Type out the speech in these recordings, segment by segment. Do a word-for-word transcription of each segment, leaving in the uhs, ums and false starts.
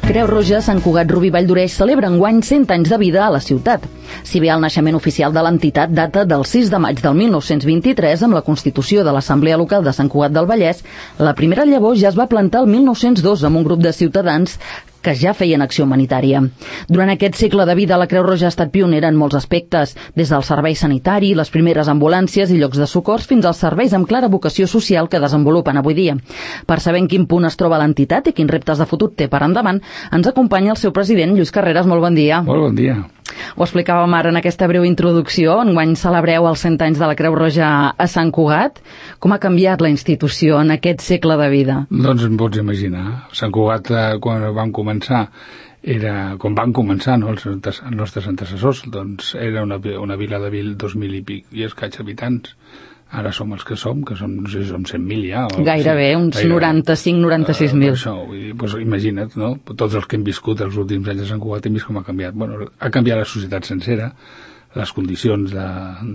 Creu Roja Sant Cugat Rubí Valldoreix celebra enguany cent anys de vida a la ciutat. Si bé el naixement oficial de l'entitat data del sis de maig del mil nou-cents vint-i-tres amb la constitució de l'Assemblea Local de Sant Cugat del Vallès, la primera llavor ja es va plantar el mil nou-cents dos amb un grup de ciutadans que ja feien acció humanitària. Durant aquest segle de vida, la Creu Roja ha estat pionera en molts aspectes, des del servei sanitari, les primeres ambulàncies i llocs de socors, fins als serveis amb clara vocació social que desenvolupen avui dia. Per saber en quin punt es troba l'entitat i quins reptes de futur té per endavant, ens acompanya el seu president, Lluís Carreras. Molt bon dia. Molt bon dia. Ho explicàvem ara en aquesta breu introducció. Enguany celebreu els cent anys de la Creu Roja a Sant Cugat. Com ha canviat la institució en aquest segle de vida? Doncs em pots imaginar. Sant Cugat, quan vam començar, era, quan van començar, no, els, els nostres antecessors, doncs era una, una vila de vil, dos mil i pic i escaig habitants. Ara som els que som, que som, no sé si som cent mil ja. O, Gairebé, sí, uns gairebé. noranta-cinc noranta-sis mil. Uh, això, vull dir, doncs, imagina't, no? Tots els que hem viscut els últims anys a Sant Cugat hem vist com ha canviat. Bueno, ha canviat la societat sencera, les condicions de,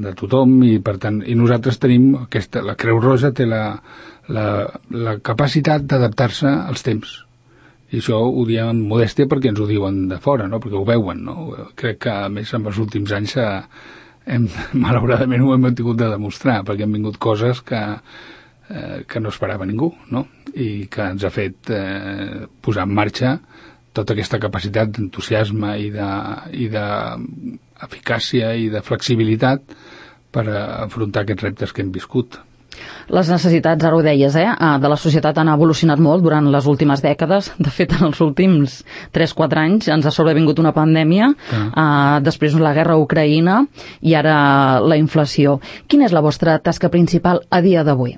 de tothom, i per tant, i nosaltres tenim aquesta, la Creu Roja té la, la, la capacitat d'adaptar-se als temps. I això ho diem amb modèstia perquè ens ho diuen de fora, no? Perquè ho veuen, no? Crec que, a més, en els últims anys s'ha Hem, malauradament ho hem tingut de demostrar, perquè han vingut coses que, eh, que no esperava ningú, no? I que ens ha fet eh, posar en marxa tota aquesta capacitat d'entusiasme i de, i d'eficàcia i de flexibilitat per afrontar aquests reptes que hem viscut. Les necessitats, ara ho deies, eh, de la societat han evolucionat molt durant les últimes dècades. De fet, en els últims tres quatre anys ens ha sobrevingut una pandèmia, ah. eh, després la guerra a Ucraïna i ara la inflació. Quina és la vostra tasca principal a dia d'avui?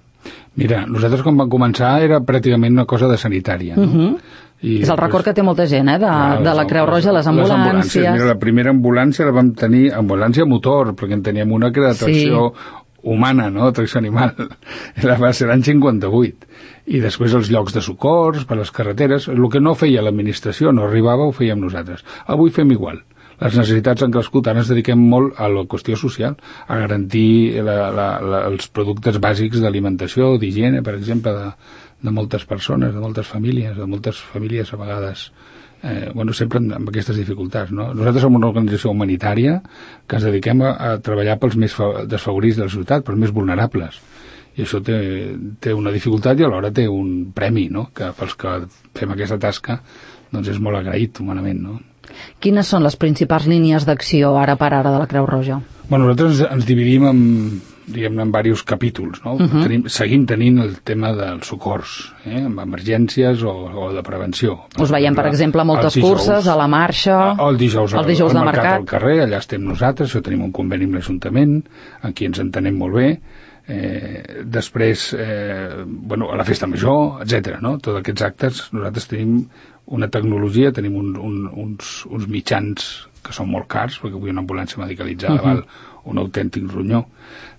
Mira, nosaltres quan vam començar era pràcticament una cosa de sanitària, no? Uh-huh. I és el record que té molta gent, eh, de, clar, de la Creu Roja, les ambulàncies. Les ambulàncies. Mira, la primera ambulància la vam tenir, ambulància motor, perquè en teníem una que era de tracció sí. humana, no?, tracció animal. La va ser l'any cinquanta-vuit. I després els llocs de socors, per les carreteres, el que no feia l'administració, no arribava, ho fèiem nosaltres. Avui fem igual. Les necessitats han crescut, ara ens dediquem molt a la qüestió social, a garantir la, la, la, els productes bàsics d'alimentació, d'higiene, per exemple, de, de moltes persones, de moltes famílies, de moltes famílies a vegades, eh, bueno, sempre amb, amb aquestes dificultats, no? Nosaltres som una organització humanitària que ens dediquem a, a treballar pels més desfavorits de la societat, pels més vulnerables. I això té, té una dificultat i alhora té un premi, no?, que pels que fem aquesta tasca doncs és molt agraït humanament, no? Quines són les principals línies d'acció ara per ara de la Creu Roja? Bueno, nosaltres ens, ens dividim en, diguem-ne, en diversos capítols, no? Uh-huh. Tenim, seguim tenint el tema dels socors, eh? Amb emergències o, o de prevenció. Us veiem, per exemple, a moltes dijous, curses, a la marxa, o el dijous, el dijous al, de al mercat, mercat. Al carrer, allà estem nosaltres, això tenim un conveni amb l'Ajuntament, aquí ens entenem molt bé. Eh, després, eh, bueno, a la festa major, etcètera, no? Tots aquests actes, nosaltres tenim una tecnologia, tenim un, un, uns, uns mitjans que són molt cars, perquè avui una ambulància medicalitzada uh-huh. val un autèntic ronyó.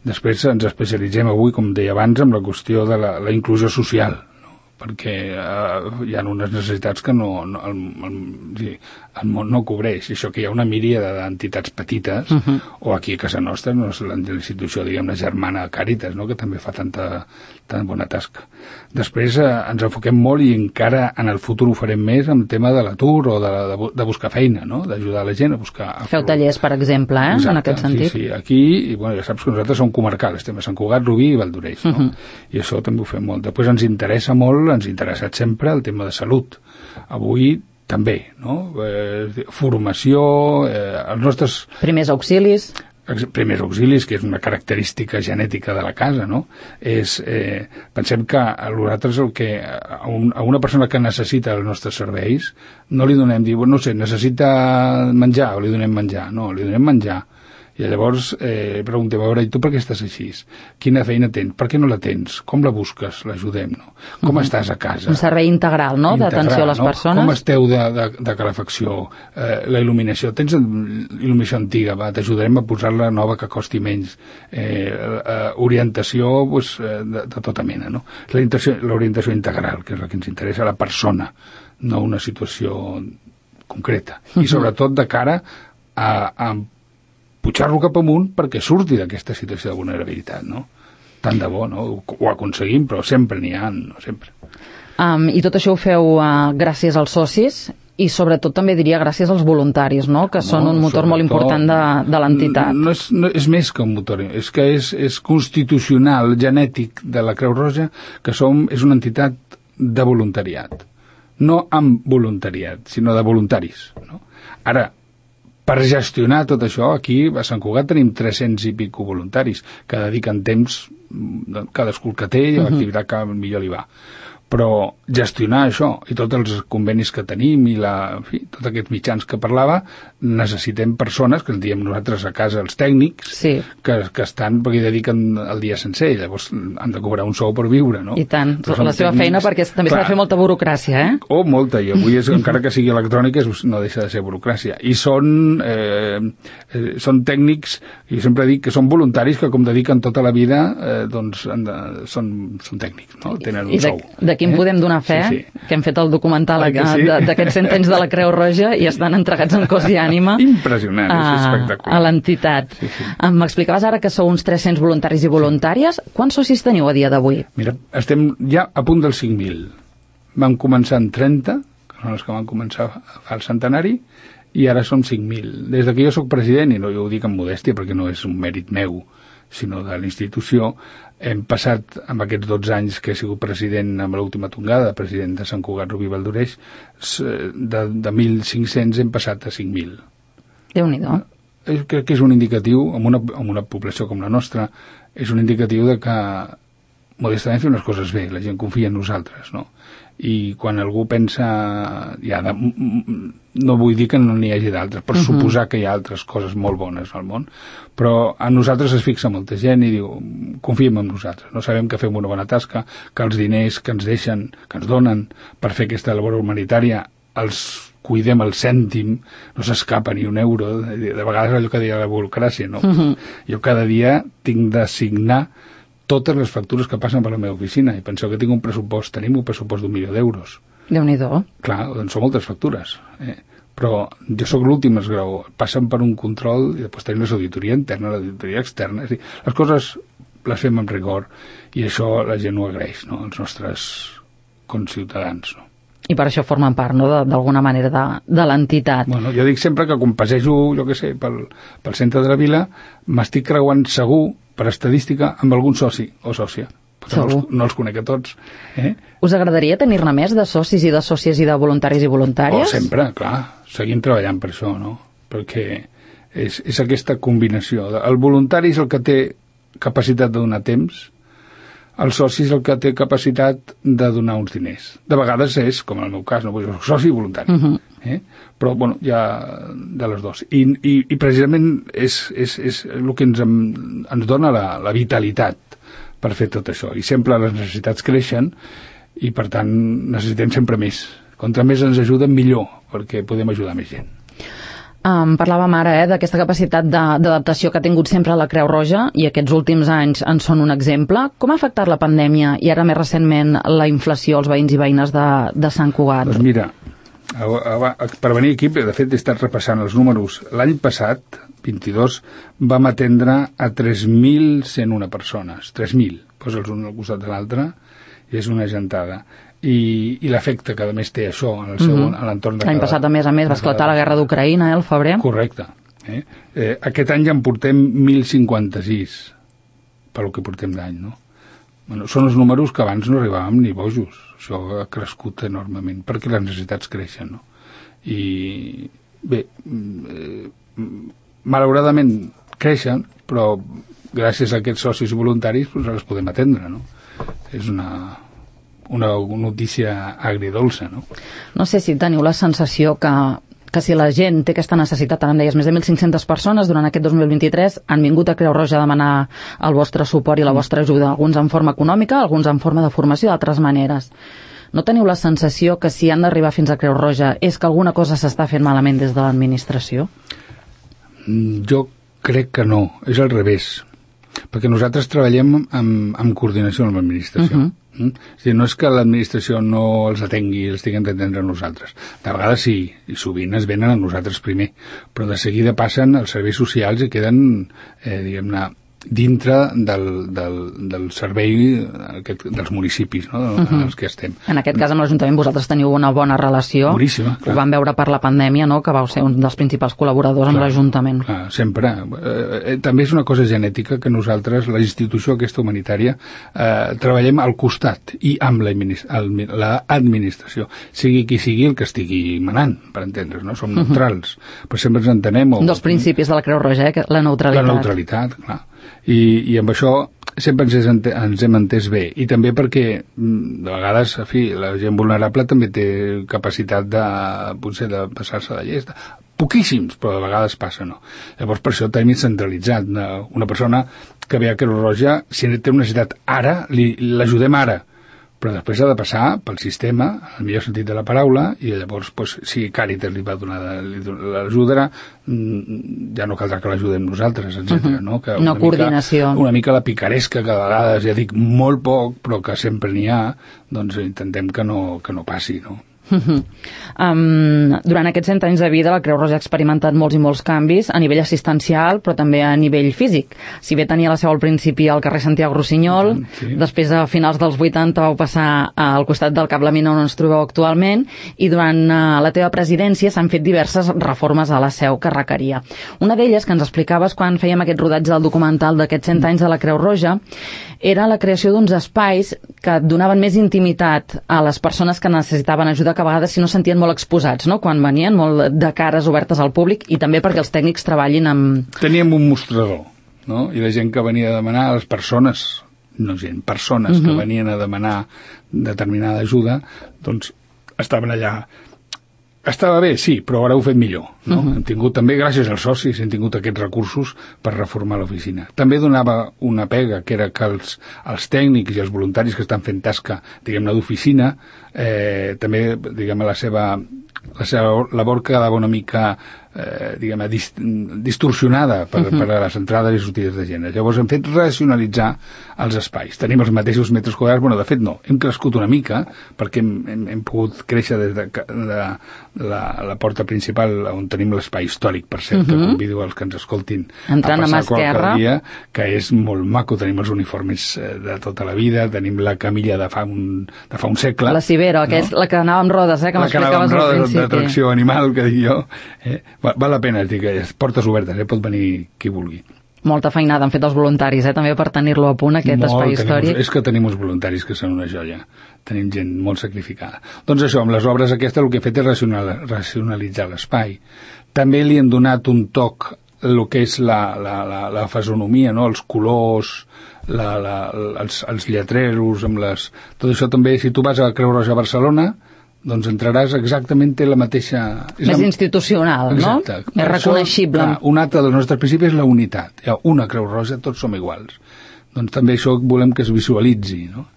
Després ens especialitzem avui, com deia abans, en la qüestió de la, la inclusió social, no? Perquè eh, hi ha unes necessitats que no, no, el, el, el món no cobreix. Això que hi ha una míriada d'entitats petites, uh-huh. o aquí a casa nostra, no és la institució, diguem-ne, germana Càritas, no?, que també fa tanta, tan bona tasca. Després eh, ens enfoquem molt, i encara en el futur ho farem més, amb el tema de l'atur o de, de, de buscar feina, no?, d'ajudar la gent a buscar... A Feu tallers, per exemple, eh?, exacte, en aquest sentit. Sí, sí, aquí, i bueno, ja saps que nosaltres som comarcals, estem a Sant Cugat, Rubí i Valldoreix, no? Uh-huh. I això també ho fem molt. Després ens interessa molt, ens ha interessat sempre el tema de salut. Avui també, no? Eh, formació, eh, els nostres... Primers auxilis. Primers auxilis, que és una característica genètica de la casa, no? És, eh, pensem que a nosaltres el que, a, un, a una persona que necessita els nostres serveis, no li donem, dir, no sé, necessita menjar, o li donem menjar, no, li donem menjar. I llavors eh, preguntem, a veure, i tu per què estàs així? Quina feina tens? Per què no la tens? Com la busques? L'ajudem, no? Com uh-huh. estàs a casa? Un servei integral, no?, d'atenció a les no? persones. Com esteu de, de, de calefacció? Eh, la il·luminació. Tens il·luminació antiga? Va, t'ajudarem a posar-la nova que costi menys. Eh, eh, orientació pues, de, de tota mena, no? L'orientació integral, que és la que ens interessa, la persona, no una situació concreta. I sobretot de cara a... a pujar-lo cap amunt perquè surti d'aquesta situació de vulnerabilitat, no? Tant de bo, no? Ho aconseguim, però sempre n'hi ha, no? Sempre. Um, I tot això ho feu uh, gràcies als socis. i sobretot també diria gràcies als voluntaris, no? Que són un motor molt important de, de l'entitat. No és, no, és més que un motor, és que és, és constitucional, genètic de la Creu Roja, que som, és una entitat de voluntariat. No amb voluntariat, sinó de voluntaris. No? Ara, per gestionar tot això, aquí a Sant Cugat tenim tres-cents i pico voluntaris que dediquen temps, cadascú el que té i a l'activitat que millor li va. Però gestionar això i tots els convenis que tenim i la, en fi, tots aquests mitjans que parlava, necessitem persones, que en diem nosaltres a casa els tècnics, sí. que, que estan, perquè dediquen el dia sencer i llavors han de cobrar un sou per viure, no? I tant, la seva tècnics, feina, perquè també s'ha de fer molta burocràcia, eh? Oh, molta, i avui és, encara que sigui electrònica no deixa de ser burocràcia. I són, eh, eh, són tècnics, i sempre dic que són voluntaris que com dediquen tota la vida, eh, doncs de, són, són tècnics, no? Tenen un I de, sou. D'aquí en podem donar fe, sí, sí. que hem fet el documental sí? d'aquests cent anys de la Creu Roja i estan entregats en cos i ànima impressionant, a, és espectacular. A l'entitat. Sí, sí. M'explicaves ara que sou uns tres-cents voluntaris i voluntàries. Sí. Quants socis teniu a dia d'avui? Mira, estem ja a punt dels cinc mil. Vam començar en trenta, que són els que van començar al centenari, i ara som cinc mil. Des que jo sóc president, i no jo ho dic amb modèstia perquè no és un mèrit meu, sinó de la institució, hem passat, amb aquests dotze anys que he sigut president amb l'última tongada, president de Sant Cugat, Rubí Valdoreix, de, de mil cinc-cents hem passat a cinc mil. Déu-n'hi-do. Crec que és un indicatiu, amb una, amb una població com la nostra, és un indicatiu de que modestament fem les coses bé, la gent confia en nosaltres, no? I quan algú pensa, ja de, no vull dir que no n'hi hagi d'altres, per uh-huh. suposar que hi ha altres coses molt bones al món, però a nosaltres es fixa molta gent i diu, confiem en nosaltres, no sabem que fem una bona tasca, que els diners que ens deixen, que ens donen per fer aquesta labor humanitària, els cuidem el cèntim, no s'escapa ni un euro, de, de vegades allò que deia la burocràcia, no? Uh-huh. Jo cada dia tinc de signar totes les factures que passen per la meva oficina i penseu que tinc un pressupost, tenim un pressupost d'un milió d'euros. Déu-n'hi-do. Clar, doncs són moltes factures, eh? Però jo sóc l'últim esglaó, passen per un control i després tenim l'auditoria interna, l'auditoria externa, és a dir, les coses les fem amb rigor i això la gent ho agraeix, no?, els nostres conciutadans, no? I per això formen part, no?, d'alguna manera de, de l'entitat. Bueno, jo dic sempre que quan passejo, jo què sé, pel, pel centre de la vila, m'estic creuant segur, per estadística, amb algun soci o sòcia. No els, no els conec a tots. Eh? Us agradaria tenir-ne més de socis i de sòcies i de voluntaris i voluntàries? Oh, sempre, clar. Seguim treballant per això, no? Perquè és, és aquesta combinació. El voluntari és el que té capacitat de donar temps, el soci és el que té capacitat de donar uns diners. De vegades és, com en el meu cas, no? Soci i voluntari. Uh-huh. Eh? Però, bueno, hi ha de les dues. I, i, i precisament és, és, és el que ens, ens dona la, la vitalitat per fer tot això. I sempre les necessitats creixen i, per tant, necessitem sempre més. Contra més ens ajuden, millor, perquè podem ajudar més gent. Um, parlàvem ara eh, d'aquesta capacitat d'adaptació que ha tingut sempre la Creu Roja i aquests últims anys en són un exemple. Com ha afectat la pandèmia i ara més recentment la inflació als veïns i veïnes de, de Sant Cugat? Doncs mira, per venir aquí, de fet he estat repassant els números. L'any passat, vint-i-dos, vam atendre a tres mil cent u persones. tres mil, posa'ls un al costat de l'altre, i és una gentada. I, i l'efecte que a més té això en el seu, mm-hmm. a l'entorn de cada... L'any passat, a més a més, va esclatar la guerra d'Ucraïna, eh, al febrer. Correcte. Eh? Eh, aquest any ja en portem mil cinquanta-sis, pel que portem d'any, no? Bueno, són els números que abans no arribàvem ni bojos. Això ha crescut enormement, perquè les necessitats creixen, no? I, bé, eh, malauradament creixen, però gràcies a aquests socis voluntaris doncs les podem atendre, no? És una... una notícia agridolça, no? No sé si teniu la sensació que, que si la gent té aquesta necessitat, ara em deies, més de mil cinc-centes persones durant aquest dos mil vint-i-tres han vingut a Creu Roja a demanar el vostre suport i la vostra ajuda, alguns en forma econòmica, alguns en forma de formació, d'altres maneres. No teniu la sensació que si han d'arribar fins a Creu Roja és que alguna cosa s'està fent malament des de l'administració? Jo crec que no, és al revés, perquè nosaltres treballem amb, amb coordinació amb l'administració. Uh-huh. Mm? És dir, no és que l'administració no els atengui, els tinguem d'atendre a nosaltres. De vegades sí, i sovint es venen a nosaltres primer, però de seguida passen els serveis socials i queden, eh, diguem-ne, dintre del, del, del servei aquest, dels municipis, no? Uh -huh. els que estem. En aquest cas, amb l'Ajuntament, vosaltres teniu una bona relació. Boníssima, clar. Ho vam veure per la pandèmia, no?, que vau ser un dels principals col·laboradors clar, amb l'Ajuntament. Clar, sempre. Eh, també és una cosa genètica que nosaltres, la institució aquesta humanitària, eh, treballem al costat i amb l'administració. Sigui qui sigui el que estigui manant, per entendre's, no? Som neutrals, uh -huh. però sempre ens entenem... O, un dels principis de la Creu Roja, eh? La neutralitat. La neutralitat, clar. I, i amb això sempre ens, ente, ens hem entès bé, i també perquè de vegades, en fi, la gent vulnerable també té capacitat de, potser, de passar-se de llest, poquíssims, però de vegades passa, no? Llavors per això tenim centralitzat una, una persona que ve a Creu Roja, si té una necessitat ara, l'ajudem ara, però després ha de passar pel sistema, en el millor sentit de la paraula, i llavors, pues, si Càritas li va donar l'ajudarà, ja no caldrà que l'ajudem nosaltres, etcètera. Uh -huh. No, que una, una coordinació. Mica, una mica la picaresca, que a vegades, ja dic, molt poc, però que sempre n'hi ha, doncs intentem que no, que no passi, no? Uh-huh. um, durant aquests cent anys de vida la Creu Roja ha experimentat molts i molts canvis a nivell assistencial, però també a nivell físic. Si bé tenia la seu al principi al carrer Santiago Rossinyol, sí. Després a finals dels vuitanta vau passar al costat del Cap la Mina on ens trobeu actualment, i durant uh, la teva presidència s'han fet diverses reformes a la seu que requeria. Una d'elles, que ens explicaves quan fèiem aquest rodatge del documental d'aquests cent anys de la Creu Roja, era la creació d'uns espais que donaven més intimitat a les persones que necessitaven ajuda, que a vegades si no sentien molt exposats, no?, quan venien, molt de cares obertes al públic, i també perquè els tècnics treballin amb... Teníem un mostrador, no?, i la gent que venia a demanar, les persones, no gent, persones uh-huh. que venien a demanar determinada ajuda, doncs estaven allà. Estava bé, sí, però ara ho he fet millor, no? Uh-huh. Hem tingut també, gràcies als socis, hem tingut aquests recursos per reformar l'oficina. També donava una pega, que era que els, els tècnics i els voluntaris que estan fent tasca, diguem-ne, d'oficina, eh, també, diguem-ne, la seva, la seva labor quedava una mica, eh, diguem-ne, dist, distorsionada per, uh-huh. per a les entrades i sortides de gent. Llavors hem fet racionalitzar els espais. Tenim els mateixos metres quadrats, bueno, de fet no, hem crescut una mica, perquè hem, hem, hem pogut créixer des de, de la, la porta principal, on tenim l'espai històric, per cert, uh-huh. que convido els que ens escoltin entrant a passar qualque dia, que és molt maco. Tenim els uniformes de tota la vida, tenim la camilla de fa un, de fa un segle. La Cibero, no? Que és la que anava amb rodes, eh, que m'explicaves al principi. La d'atracció animal, que dic jo. Eh? Val, val la pena, dic, portes obertes, eh? Pot venir qui vulgui. Molta feinada han fet els voluntaris, eh, també per tenir-lo a punt, aquest molt, espai històric. És que tenim uns voluntaris que són una joia. Tenim gent molt sacrificada. Doncs això, amb les obres aquestes el que he fet és racional, racionalitzar l'espai. També li hem donat un toc el que és la, la, la, la fisonomia, no? Els colors, la, la, els, els lletreros, amb les... tot això també, si tu vas a Creu Roja a Barcelona, doncs entraràs exactament la mateixa... Més la... institucional, exacte, no? Més reconeixible. Clar, un altre dels nostres principis és la unitat. Hi ha una Creu Roja, tots som iguals. Doncs també això volem que es visualitzi, no?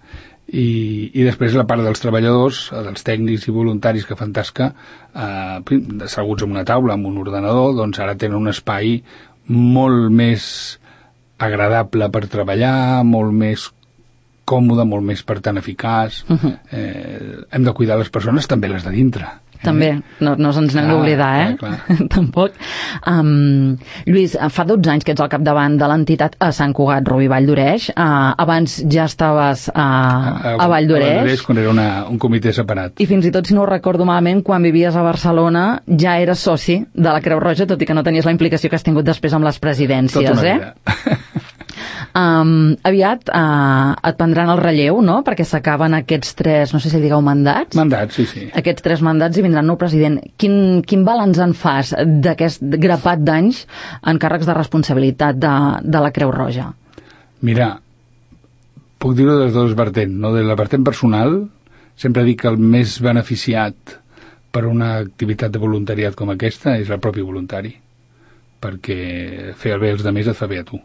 I, i després la part dels treballadors, dels tècnics i voluntaris que fan tasca, eh, asseguts en una taula, amb un ordenador, doncs ara tenen un espai molt més agradable per treballar, molt més còmode, molt més, per tant, eficaç. Uh-huh. eh, hem de cuidar les persones, també les de dintre. Eh? També, no, no ens n'hem d'oblidar, eh? Clar, clar. Tampoc. Um, Lluís, fa dotze anys que ets al capdavant de l'entitat a Sant Cugat, Rubí Vall d'Oreix. Uh, abans ja estaves uh, a, a Vall d'Oreix. Quan era una, un comitè separat. I fins i tot, si no ho recordo malament, quan vivies a Barcelona ja eres soci de la Creu Roja, tot i que no tenies la implicació que has tingut després amb les presidències, tota una eh? vida. Um, aviat uh, et prendran el relleu, no?, perquè s'acaben aquests tres, no sé si digueu mandats. Mandats, sí, sí. Aquests tres mandats i vindrà el nou president. Quin, quin balanç en fas d'aquest grapat d'anys en càrrecs de responsabilitat de, de la Creu Roja? Mira, puc dir-ho des de dos vertents, no? De la vertent personal, sempre dic que el més beneficiat per una activitat de voluntariat com aquesta és el propi voluntari, perquè fer el bé als altres et fa bé a tu.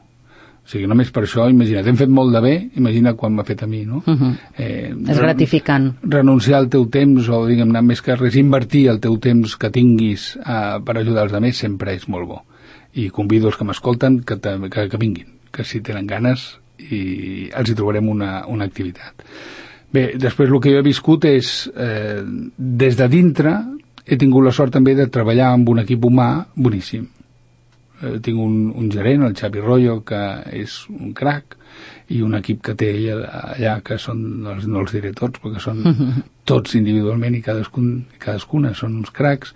O sigui, només per això, imagina't, hem fet molt de bé, imagina quan m'ha fet a mi, no? Uh-huh. eh, és gratificant. Renunciar al teu temps, o diguem-ne, més que res, invertir el teu temps que tinguis eh, per ajudar els altres sempre és molt bo. I convido els que m'escolten que, que, que vinguin, que si tenen ganes i els hi trobarem una, una activitat. Bé, després el que jo he viscut és, eh, des de dintre, he tingut la sort també de treballar amb un equip humà boníssim. eh, tinc un, un gerent, el Xavi Rollo, que és un crac, i un equip que té ell allà, que són, els, no els diré tots, perquè són tots individualment i cadascun, cadascuna són uns cracs,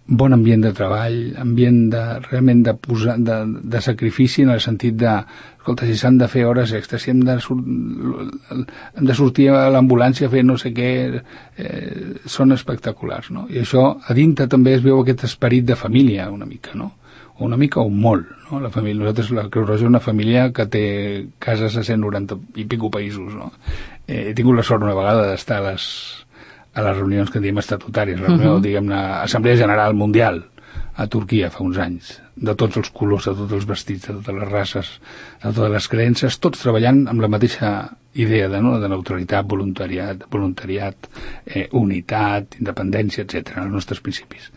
bon ambient de treball, ambient de, realment de, posar, de, de sacrifici en el sentit de, escolta, si s'han de fer hores extres, si hem de, sur hem de sortir a l'ambulància a fer no sé què, eh, són espectaculars, no? I això, a dintre també es veu aquest esperit de família, una mica, no? O una mica o molt, no? La família, nosaltres, la Creu Roja és una família que té cases a cent noranta i pico països, no? Eh, he tingut la sort una vegada d'estar a les a les reunions que en diem estatutàries, la reunió, uh -huh. diguem-ne, Assemblea General Mundial a Turquia fa uns anys, de tots els colors, de tots els vestits, de totes les races, de totes les creences, tots treballant amb la mateixa idea de, no? de neutralitat, voluntariat, voluntariat eh, unitat, independència, etcètera, els nostres principis.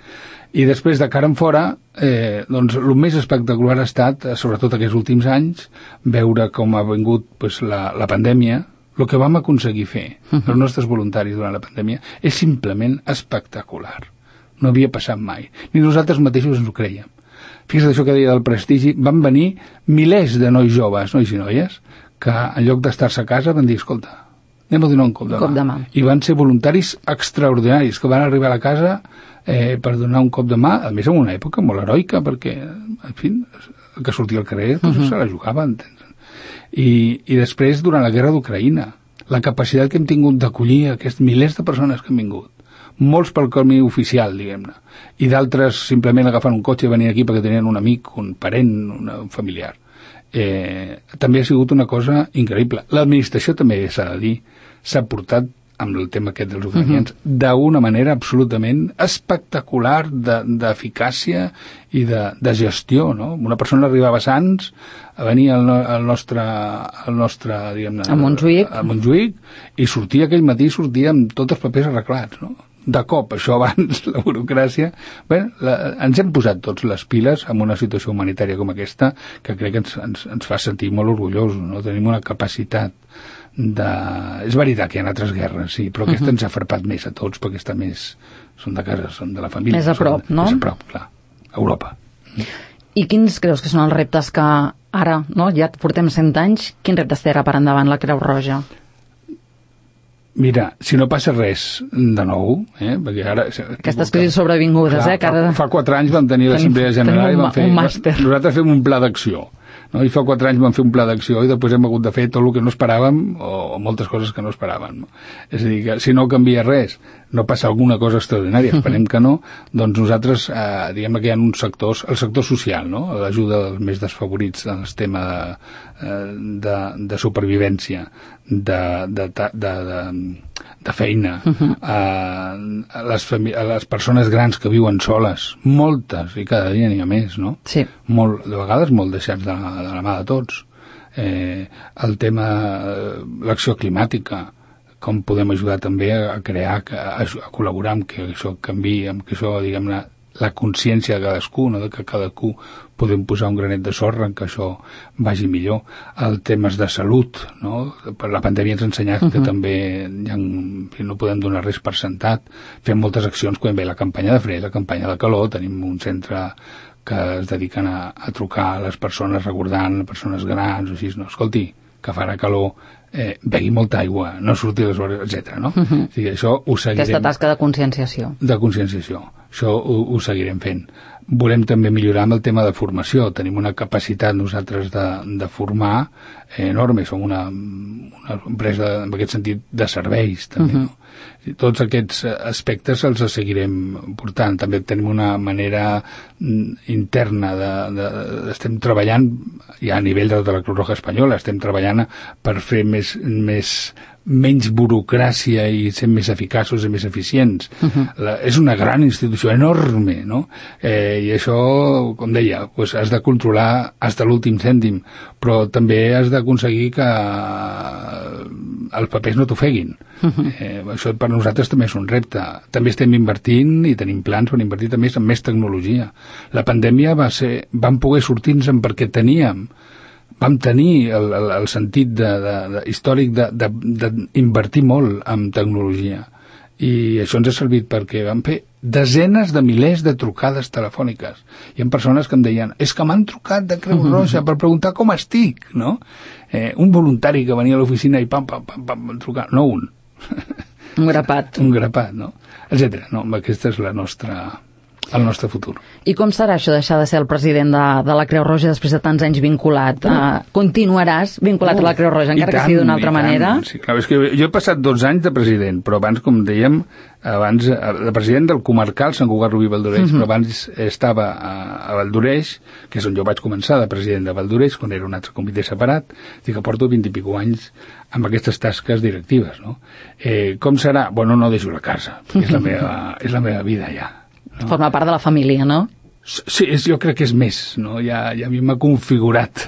I després, de cara en fora, eh, doncs, el més espectacular ha estat, sobretot aquests últims anys, veure com ha vingut pues, la, la pandèmia. El que vam aconseguir fer, uh-huh. els nostres voluntaris durant la pandèmia, és simplement espectacular. No havia passat mai. Ni nosaltres mateixos ens ho creiem. Fixa't això que deia del prestigi, van venir milers de nois joves, nois i noies, que en lloc d'estar-se a casa van dir, escolta, anem a donar un cop de, cop de mà. I van ser voluntaris extraordinaris, que van arribar a la casa eh, per donar un cop de mà, a més en una època molt heroica, perquè, en fi, el que sortia al carrer, doncs, uh-huh. se la jugava, entens? I, i després, durant la guerra d'Ucraïna, la capacitat que hem tingut d'acollir aquests milers de persones que han vingut, molts pel camí oficial, diguem-ne, i d'altres simplement agafant un cotxe i venint aquí perquè tenien un amic, un parent, una, un familiar. Eh, també ha sigut una cosa increïble. L'administració també s'ha de dir, s'ha portat amb el tema aquest dels ucranians, uh-huh. d'una manera absolutament espectacular d'eficàcia de, i de, de gestió, no? Una persona arribava a Sants, venia al, al nostre, al nostre diguem-ne, a Montjuïc. a Montjuïc, i sortia aquell matí, sortia amb tots els papers arreglats, no? De cop, això abans, la burocràcia... Bé, la, ens hem posat tots les piles en una situació humanitària com aquesta, que crec que ens, ens, ens fa sentir molt orgullosos, no? Tenim una capacitat de... És veritat que hi ha altres guerres, sí, però aquesta uh-huh. ens ha farpat més a tots, perquè està més... Són de casa, són de la família. Més a prop, són, no? Més a prop, clar. Europa. I quins creus que són els reptes que ara, no? Ja portem cent anys, quins reptes té ara per endavant la Creu Roja? Mira, si no passa res de nou, eh, perquè ara... Aquestes crisis sobrevingudes, clar, eh? Que ara... fa, fa quatre anys vam tenir l'Assemblea General i vam fer... Un màster. Nosaltres fem un pla d'acció. No? I fa quatre anys vam fer un pla d'acció i després hem hagut de fer tot el que no esperàvem o, o moltes coses que no esperàvem. No? És a dir, que si no canvia res, no passa alguna cosa extraordinària, esperem que no, doncs nosaltres, eh, diguem que hi ha uns sectors, el sector social, no? L'ajuda dels més desfavorits en el tema de, de, de supervivència, de, de, de, de, de feina, uh-huh. eh, a, les a les persones grans que viuen soles, moltes, i cada dia n'hi ha més, no? Sí. Molt, de vegades molt deixats de la, de la mà de tots. Eh, el tema, l'acció climàtica, com podem ajudar també a crear, a, a col·laborar amb que això canviï, amb que això, diguem-ne, la consciència de cadascú, no? De que cadascú podem posar un granet de sorra en que això vagi millor. El temes de salut, no? Per la pandèmia ens ha ensenyat uh-huh. que també ja no podem donar res per sentat. Fem moltes accions quan ve la campanya de fred, la campanya de calor, tenim un centre que es dediquen a, a trucar a les persones recordant, persones grans o així, no? Escolti, que farà calor, eh, begui molta aigua, no surti les hores, etcètera. No? Uh-huh. O sigui, això ho seguirem... Aquesta tasca de conscienciació. De conscienciació. Això ho, ho seguirem fent. Volem també millorar amb el tema de formació. Tenim una capacitat nosaltres de, de formar enorme. Som una, una empresa, en aquest sentit, de serveis, també, uh-huh. no? Tots aquests aspectes els seguirem portant. També tenim una manera interna de, de, de estem treballant ja a nivell de tota la Creu Roja Espanyola, estem treballant per fer més, més menys burocràcia i ser més eficaços i més eficients. Uh-huh. La, és una gran institució, enorme, no? Eh, I això, com deia, pues has de controlar fins a l'últim cèntim, però també has d'aconseguir que els papers no t'ofeguin. Uh-huh. Eh, això per nosaltres també és un repte. També estem invertint i tenim plans per invertir també en més tecnologia. La pandèmia va ser, vam poder sortir-nos perquè teníem vam tenir el, el, el sentit de, de, de, històric d'invertir molt en tecnologia. I això ens ha servit perquè vam fer desenes de milers de trucades telefòniques. Hi ha persones que em deien, és que m'han trucat de Creu Roja per preguntar com estic, no? Eh, un voluntari que venia a l'oficina i pam, pam, pam, pam, trucar, no un. Un grapat. Un grapat, no? Etcètera. No, aquesta és la nostra... el nostre futur. I com serà això, deixar de ser el president de, de la Creu Roja després de tants anys vinculat? Uh, uh, continuaràs vinculat uh, a la Creu Roja, encara tant, que sigui d'una altra manera? Sí, clar, és que jo he passat dotze anys de president, però abans, com dèiem, abans de president del comarcal Sant Cugat Rubí Valdoreix, uh -huh. però abans estava a, a Valdoreix, que és on jo vaig començar de president de Valdoreix, quan era un altre comitè separat, i que porto vint i pico anys amb aquestes tasques directives, no? Eh, com serà? Bueno, no deixo la casa, és la meva, és la meva vida ja. No? Forma part de la família, no? Sí, és, jo crec que és més, no? Ja, ja a mi m'ha configurat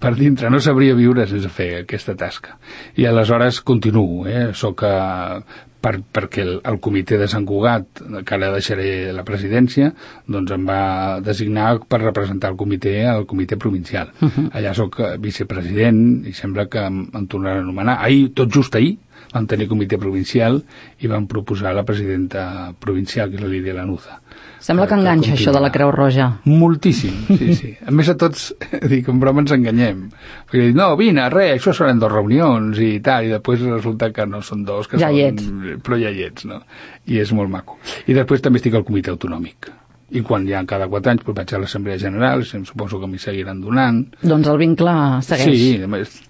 per dintre, no sabria viure sense fer aquesta tasca. I aleshores continuo, eh? Soc a, per, perquè el, el comitè de Sant Cugat, que ara deixaré la presidència, doncs em va designar per representar el comitè al comitè provincial. Uh -huh. Allà soc vicepresident i sembla que em, em tornaran a anomenar. Ahir, tot just ahir, vam tenir comitè provincial i vam proposar la presidenta provincial, que és la Lídia Lanuza. Sembla que enganxa això de la Creu Roja. Moltíssim, sí, sí. A més a tots, dic, en broma ens enganyem. Perquè dic, no, vine, res, això seran dos reunions i tal, i després resulta que no són dos, que ja són... hi ets. Però ja hi ets, no? I és molt maco. I després també estic al comitè autonòmic. I quan ja cada quatre anys pues, vaig a l'Assemblea General, em suposo que m'hi seguiran donant. Doncs el vincle segueix. Sí,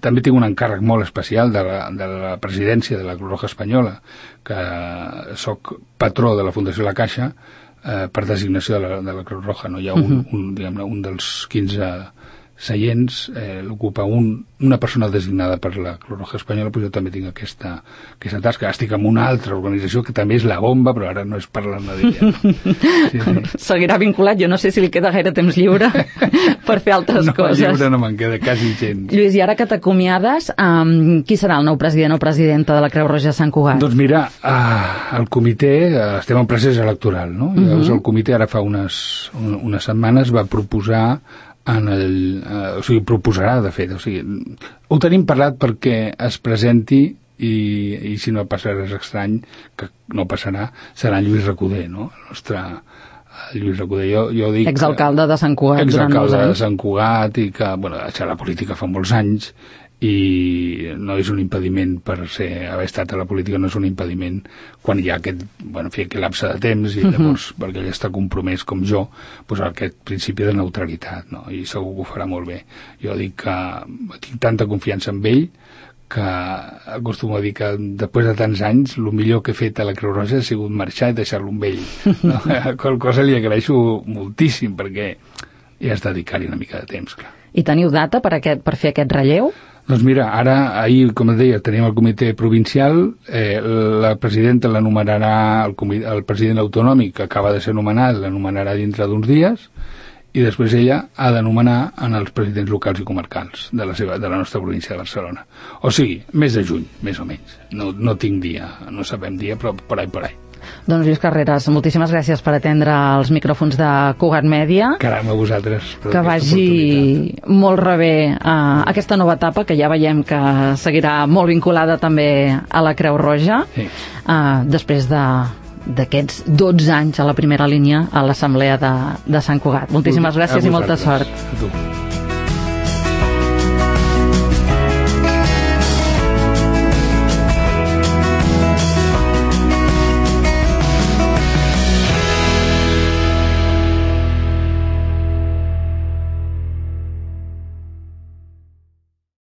també tinc un encàrrec molt especial de la, de la presidència de la Creu Roja Espanyola, que sóc patró de la Fundació La Caixa, eh, per designació de la, de la Creu Roja. No? Hi ha un, uh-huh. un, diguem-ne, un dels quinze seients, eh, l'ocupa un, una persona designada per la Creu Roja Espanyola, però jo també tinc aquesta, aquesta tasca. Estic en una altra organització que també és la bomba, però ara no és parlant d'ella. No? Sí, sí. Seguirà vinculat, jo no sé si li queda gaire temps lliure per fer altres no, coses. No, lliure no me'n queda quasi gens. Lluís, i ara que t'acomiades, um, qui serà el nou president o presidenta de la Creu Roja de Sant Cugat? Doncs mira, uh, el comitè, uh, estem en procés electoral, no? Uh -huh. Llavors el comitè ara fa unes, un, unes setmanes va proposar en el, eh, o sigui, proposarà, de fet, o sigui, ho tenim parlat perquè es presenti i, i si no passa res estrany, que no passarà, serà Lluís Recoder, no? El nostre Lluís Recoder, jo, jo dic... Exalcalde de Sant Cugat durant molts anys. Exalcalde de Sant Cugat i que, bueno, ha deixat la política fa molts anys i no és un impediment per ser, haver estat a la política no és un impediment quan hi ha aquest, bueno, en fi, aquest lapse de temps i llavors, uh -huh. perquè ell està compromès com jo, doncs aquest principi de neutralitat, no? I segur que ho farà molt bé. Jo dic que tinc tanta confiança en ell que acostumo a dir que després de tants anys el millor que he fet a la Creu Roja ha sigut marxar i deixar-lo amb ell, no? Qual cosa li agraeixo moltíssim perquè hi has de dedicar-hi una mica de temps, clar. I teniu data per, aquest, per fer aquest relleu? Doncs mira, ara, ahir, com et deia, tenim el comitè provincial, eh, la presidenta l'anomenarà, el, el president autonòmic, que acaba de ser nomenat, l'anomenarà dintre d'uns dies, i després ella ha d'anomenar en els presidents locals i comarcals de la, seva, de la nostra província de Barcelona. O sigui, mes de juny, més o menys. No, no tinc dia, no sabem dia, però por ahí, por ahí. Doncs Lluís Carreras, moltíssimes gràcies per atendre els micròfons de Cugat Mèdia. Caram, a vosaltres. Que vagi molt rebé uh, aquesta nova etapa, que ja veiem que seguirà molt vinculada també a la Creu Roja, sí. uh, després de d'aquests dotze anys a la primera línia a l'Assemblea de, de Sant Cugat. Moltíssimes gràcies i molta sort. A tu.